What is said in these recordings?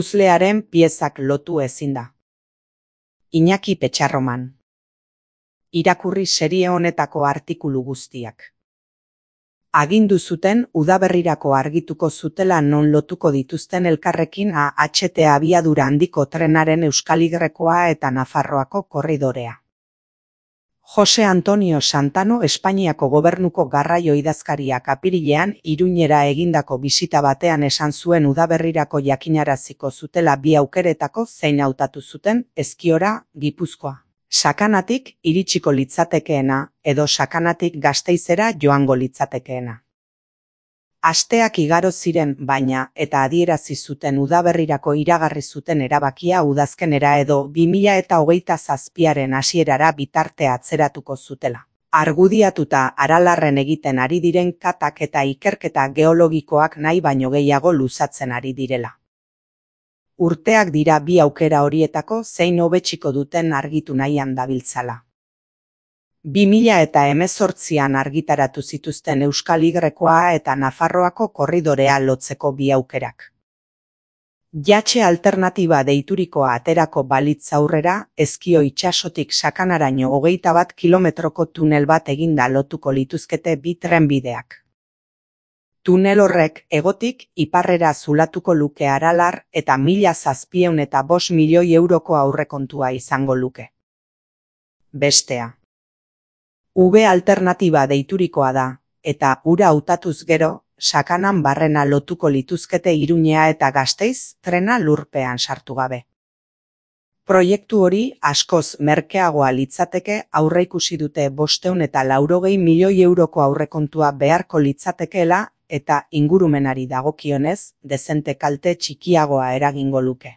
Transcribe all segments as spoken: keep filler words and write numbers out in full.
Puzlearen piezak lotu ezin da. Iñaki Petxarroman. Irakurri serie honetako artikulu guztiak. Agindu zuten udaberrirako argituko zutela non lotuko dituzten elkarrekin A H T abiadura handiko trenaren Euskal-Yrekoa eta Nafarroako korridorea. Jose Antonio Santano Espainiako gobernuko garraio idazkariak apirilean Iruñera egindako bisita batean esan zuen udaberrirako jakinaraziko zutela bi aukeretako zein hautatu zuten Ezkiora, Gipuzkoa. Sakanatik iritsiko litzatekeena edo Sakanatik Gasteizera joango litzatekeena. Asteak igaro ziren baina eta adierazi zuten udaberrirako iragarri zuten erabakia udazkenera edo bi mila hogeita zazpiaren hasierara bitarte atzeratuko zutela. Argudiatuta Aralarren egiten ari diren katak eta ikerketa geologikoak nahi baino gehiago luzatzen ari direla. Urteak dira bi aukera horietako zein hobetsiko duten argitu nahian dabiltzala. bi mila hemezortzian argitaratu zituzten Euskal-Yrekoa eta Nafarroako korridorea lotzeko bi aukerak. Jatxe alternatiba deiturikoa aterako balitz aurrera, Ezkio itsasotik Sakanaraino hogeita bat kilometroko tunel bat eginda lotuko lituzkete bi trenbideak. Tunel horrek hegotik iparrera zulatuko luke Aralar eta mila zazpiehun eta bost milioi euroko aurrekontua izango luke. Bestea. V alternatiba deiturikoa da, eta ura hautatuz gero, Sakanan barrena lotuko lituzkete Iruñea eta Gasteiz trena lurpean sartu gabe. Proiektu hori askoz merkeagoa litzateke aurreikusi dute bostehun eta laurogei milioi euroko aurrekontua beharko litzatekeela eta ingurumenari dagokionez, dezente kalte txikiagoa eragingo luke.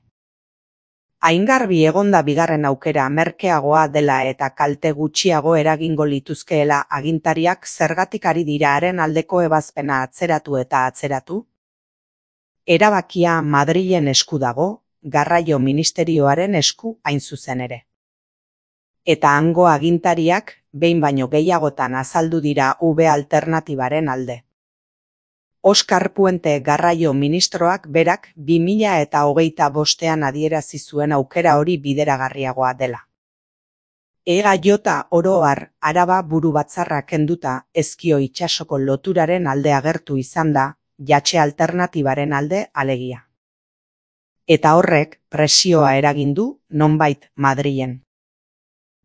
Aingarbi egonda bigarren aukera merkeagoa dela eta kalte gutxiago eragingo lituzkeela agintariak zergatik ari dira haren aldeko ebazpena atzeratu eta atzeratu? Erabakia Madrilen esku dago, garraio ministerioaren esku hain zuzen ere. Eta hango agintariak behin baino gehiagotan azaldu dira V alternatibaren alde. Oskar Puente garraio ministroak berak bi mila hogeita bostean adierazi zuen aukera hori bideragarriagoa dela. Ega jota oro har Araba buru batzarra kenduta Ezkio itsasoko loturaren alde agertu izan da, jatxe alternatibaren alde alegia. Eta horrek presioa eragin du nonbait Madrilen.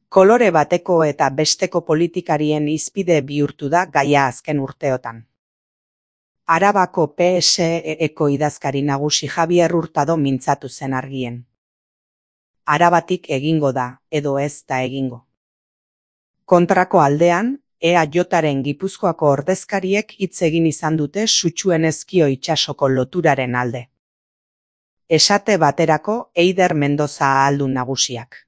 Kolore bateko eta besteko politikarien hizpide bihurtu da gaia azken urteotan. Arabako P S E-eko idazkari nagusi Javier Hurtado mintzatu zen argien. Arabatik egingo da, edo ez da egingo. Kontrako aldean, E A Jaren Gipuzkoako ordezkariek hitz egin izan dute sutsuen Ezkio itsasoko loturaren alde. Esate baterako Eider Mendoza ahaldun nagusiak.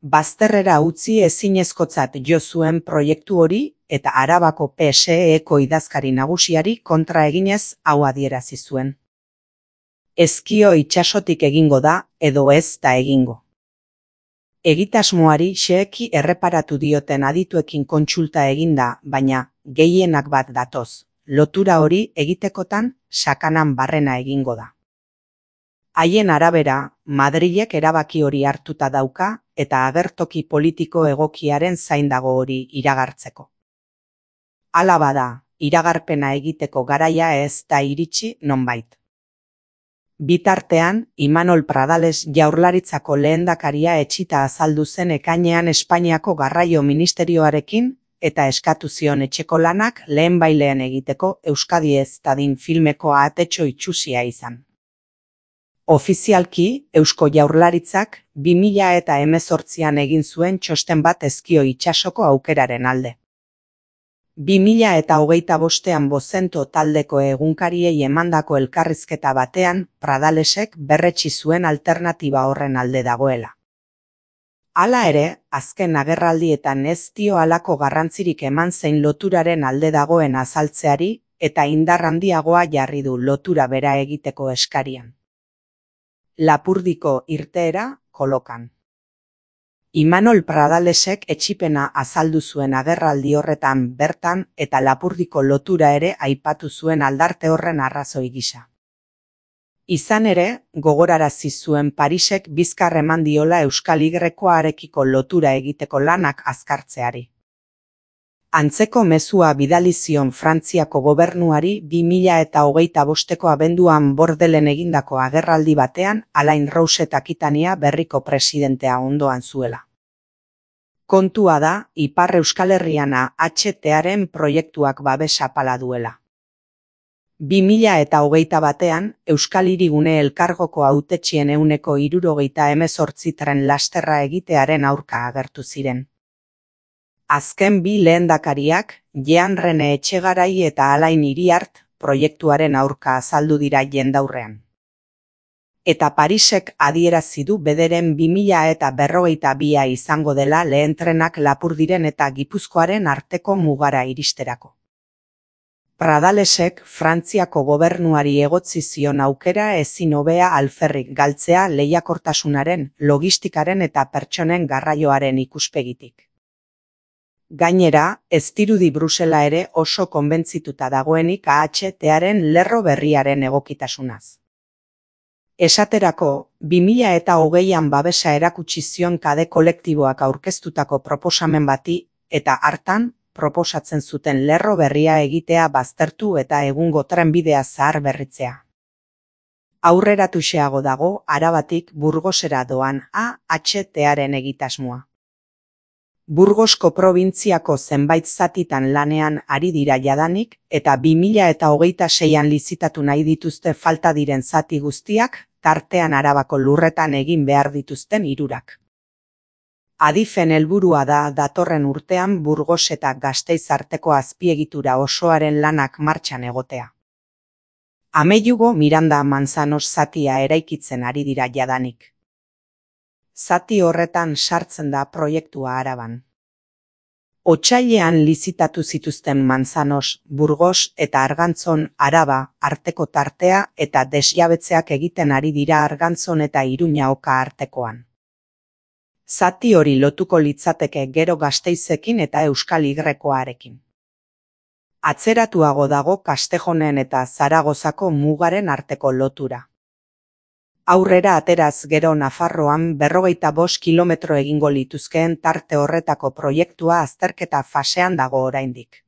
Bazterrera utzi ezinezkotzat jo zuen proiektu hori eta Arabako P S E-eko idazkari nagusiari kontra eginez hau adierazi zuen. Ezkio itsasotik egingo da edo ez da egingo. Egitasmoari xeheki erreparatu dioten adituekin kontsulta eginda, baina gehienak bat datoz, lotura hori egitekotan Sakanan barrena egingo da. Haien arabera, Madrilek erabaki hori hartuta dauka eta agertoki politiko egokiaren zain dago hori iragartzeko. Hala bada, iragarpena egiteko garaia ez da iritsi nonbait. Bitartean, Imanol Pradales Jaurlaritzako lehendakaria etxita azaldu zen ekainean Espainiako garraio ministerioarekin eta eskatu zion etxeko lanak lehenbailean egiteko Euskadi ez dadin filmeko atetxo itsusia izan. Ofizialki, Eusko Jaurlaritzak bi mila hemezortzian egin zuen txosten bat Ezkio itsasoko aukeraren alde. bi mila hogeita bostean Bozento taldeko egunkariei emandako elkarrizketa batean, Pradalesek berretsi zuen alternatiba horren alde dagoela. Hala ere, azken agerraldietan ez dio halako garrantzirik eman zein loturaren alde dagoen azaltzeari eta indar handiagoa jarri du lotura bera egiteko eskarian. Lapurdiko irteera kolokan. Imanol Pradalesek etxipena azaldu zuen agerraldi horretan bertan eta Lapurdiko lotura ere aipatu zuen aldarte horren arrazoi gisa. Izan ere, gogorarazi zuen Parisek bizkar eman diola Euskal Y-arekiko lotura egiteko lanak azkartzeari. Antzeko mezua bidali zion Frantziako gobernuari bi mila eta hogeita bosteko abenduan Bordelen egindako agerraldi batean Alain Rouget Akitania berriko presidentea ondoan zuela. Kontua da, Ipar Euskal Herriana H T-aren proiektuak babesa pala duela. bi mila eta hogeita batean, Euskal Hirigune Elkargoko hautetxien ehuneko hirurogeita hemezortzi tren lasterra egitearen aurka agertu ziren. Azken bi lehendakariak, Jean Rene Etxegarai eta Alain Iriart, proiektuaren aurka azaldu dira jendaurrean. Eta Parisek adierazi du bederen bi mila eta berrogeita bia izango dela lehen trenak Lapurdiren eta Gipuzkoaren arteko mugara iristerako. Pradalesek Frantziako gobernuari egotzi zion aukera ezin hobea alferrik galtzea lehiakortasunaren, logistikaren eta pertsonen garraioaren ikuspegitik. Gainera, ez dirudi Brusela ere oso konbentzituta dagoenik A H T-aren lerro berriaren egokitasunaz. Esaterako, bi mila eta hogeian babesa erakutsi zion kade kolektiboak aurkeztutako proposamen bati, eta hartan, proposatzen zuten lerro berria egitea baztertu eta egungo trenbidea zahar berritzea. Aurreratuxeago dago Arabatik Burgosera doan A H T-aren egitasmoa. Burgosko probintziako zenbait zatitan lanean ari dira jadanik, eta bi mila eta hogeita seian lizitatu nahi dituzte falta diren zati guztiak, tartean Arabako lurretan egin behar dituzten hirurak. Adifen helburua da datorren urtean Burgos eta Gasteiz arteko azpiegitura osoaren lanak martxan egotea. Ameiugo Miranda Manzanos zatia eraikitzen ari dira jadanik. Zati horretan sartzen da proiektua Araban. Otsailean lizitatu zituzten Manzanos, Burgos eta Argantzon Araba arteko tartea eta desjabetzeak egiten ari dira Argantzon eta Iruña Oka artekoan. Zati hori lotuko litzateke gero Gasteizekin eta Euskal Y-arekin. Atzeratuago dago Kastejonen eta Zaragozako mugaren arteko lotura. Aurrera ateraz gero Nafarroan berrogeita bost kilometro egingo lituzkeen tarte horretako proiektua azterketa fasean dago oraindik.